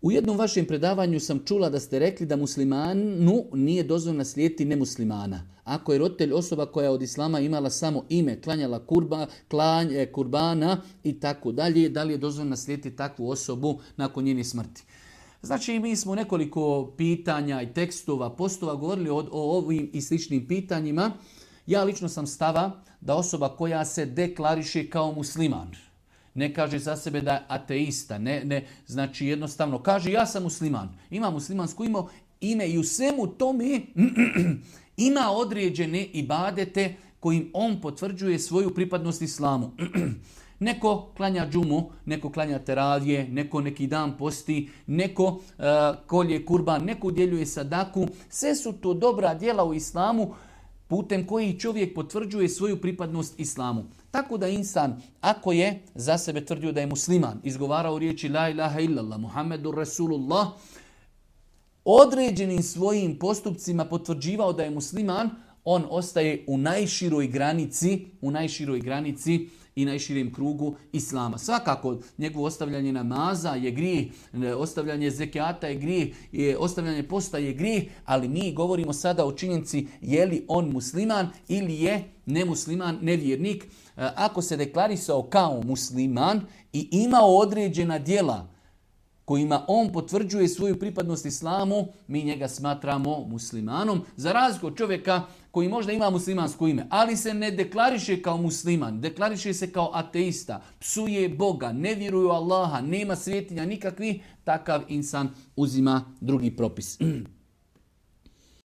U jednom vašem predavanju sam čula da ste rekli da muslimanu nije dozvoljeno slijediti nemuslimana. Ako je roditelj osoba koja je od islama imala samo ime, klanjala kurbana i tako dalje, da li je dozvoljeno slijediti takvu osobu nakon njene smrti? Znači, mi smo nekoliko pitanja i tekstova, postova govorili o ovim i sličnim pitanjima. Ja lično sam stava da osoba koja se deklariše kao musliman, ne kaže za sebe da je ateista, znači jednostavno kaže ja sam musliman, ima muslimansko ime i u svemu tome ima određene ibadete kojim on potvrđuje svoju pripadnost islamu. Neko klanja džumu, neko klanja teravije, neko neki dan posti, neko kolje kurban, neko udjeljuje sadaku. Sve su to dobra djela u islamu putem koji čovjek potvrđuje svoju pripadnost islamu. Tako da insan, ako je za sebe tvrdio da je musliman, izgovarao riječi la ilaha illallah, Muhammedur Rasulullah, određenim svojim postupcima potvrđivao da je musliman, on ostaje u najširoj granici i najširijem krugu islama. Svakako, njegovo ostavljanje namaza je grijeh, ostavljanje zekijata je grijeh, ostavljanje posta je grijeh, ali mi govorimo sada o činjenici je li on musliman ili je nemusliman, nevjernik. Ako se deklarisao kao musliman i imao određena djela kojima on potvrđuje svoju pripadnost islamu, mi njega smatramo muslimanom. Za razliku od čovjeka koji možda ima muslimansko ime, ali se ne deklariše kao musliman, deklariše se kao ateista, psuje Boga, ne vjeruje u Allaha, nema svetinja nikakvih, takav insan uzima drugi propis.